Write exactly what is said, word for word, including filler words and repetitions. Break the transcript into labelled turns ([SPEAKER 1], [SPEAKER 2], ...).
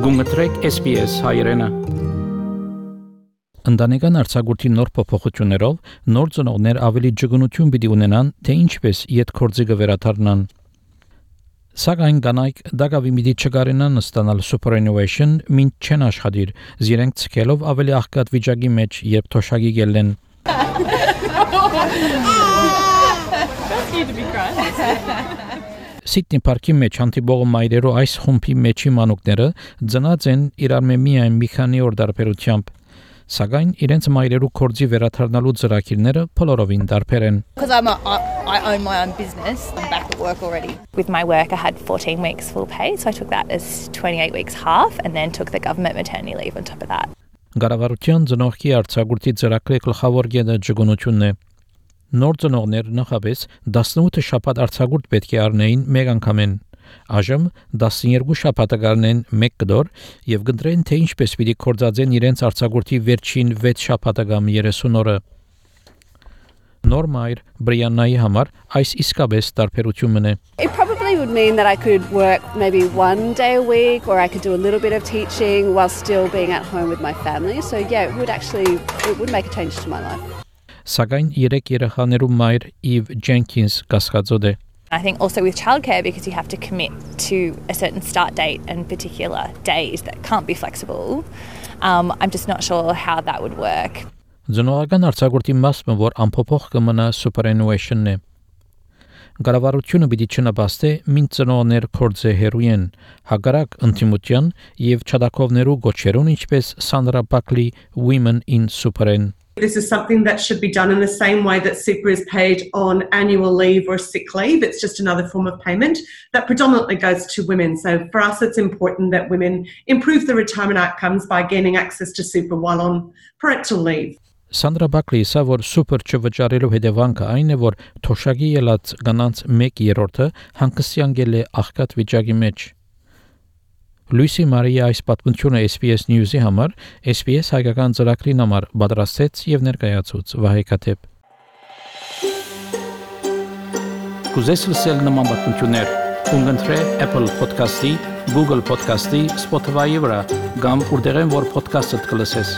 [SPEAKER 1] Գումտրեք S B S հայրենը։ Ընտանեկան արձակուրդի նոր փոփոխություններով նոր ծնողներ ավելի ջգունություն պիտի ունենան, թե ինչպես յետքորձի կվերաթարնան։ Սակայն կանայք դակավի միտի չկարենան ստանալ superannuation մինչ չեն աշխատիր, զիրենք ցկելով ավելի աղքատ վիճակի մեջ, երբ թոշակի գելեն։ Սիդնի պարկի մեջ հանդիպող մայրերու այս խումբի մեջի մանուկները ծնած են իրար մե միայն մի քանի օր դարբերությամբ, սակայն իրենց մայրերու կորձի վերաթարնալու ծրագիրները բոլորովին դարբեր են։
[SPEAKER 2] Because I'm a, I, I own my own business, I'm back at work already.
[SPEAKER 3] With my work I had fourteen weeks full pay, so I took that as twenty-eight weeks half and then took the government maternity leave on top of that.
[SPEAKER 1] Գարավարության ծնողքի արձակուրդի ծրագրի գլխավոր գեդը ջգունությունն է։ Նոր ծնողներ նախապես տասնութ շաբաթ արձակուրդ պետք է առնեին մեկ անգամեն։ Այժմ տասներկու շաբաթ կառնեն մեկ կդոր եւ գնդրեն թե ինչպես պիտի կորցածեն իրենց արձակուրդի վերջին վեց շաբաթը կամ երեսուն օրը։ Նոր մայր Բրիաննայի համար այս իսկապես տարբերությունն է։
[SPEAKER 4] It probably would mean that I could work maybe one day a week or I could do a little bit of teaching while still being at home with my family. So yeah, it would actually it would make a change to my life.
[SPEAKER 1] Սակայն երեք երեխաներու մայր Իվ Ջենքինս կասկածոտ է։
[SPEAKER 3] I think also with childcare, because you have to commit to a certain start date and particular days that can't be flexible, um, I'm just not sure how that would work.
[SPEAKER 1] Ծնողական արձակուրդի մասը, որ անփոփոխ կմնա superannuation-ն է։ Գարավարությունը պիտի չնպաստի մին ծնողներ կորձե հերույեն, հակառակ ընդդիմության եւ չադակովներու գոչերուն ինչպես Sandra Buckley Women in Superan.
[SPEAKER 5] This is something that should be done in the same way that super is paid on annual leave or sick leave. It's just another form of payment that predominantly goes to women. So for us, it's important that women improve their retirement outcomes by gaining access to super while on parental leave.
[SPEAKER 1] Sandra Buckley սա որ սուպեր չվճարելու հետևանքը այն է, որ թոշակի ելած կանանց մեկ երրորդը հանգստյան գել է աղքատ վիճակի մեջ։ Լուիսի Մարիա այս պատմությունը S B S News-ի համար S B S հայկական ծրագրի համար պատրաստեց եւ ներկայացուց Վահե Կաթեփ։ Կուզես լսել նման պատմություններ, կընտրե Apple Podcast-ի, Google Podcast-ի, Spotify-ի վրա, կամ որտեղեն որ podcast-ը կլսես։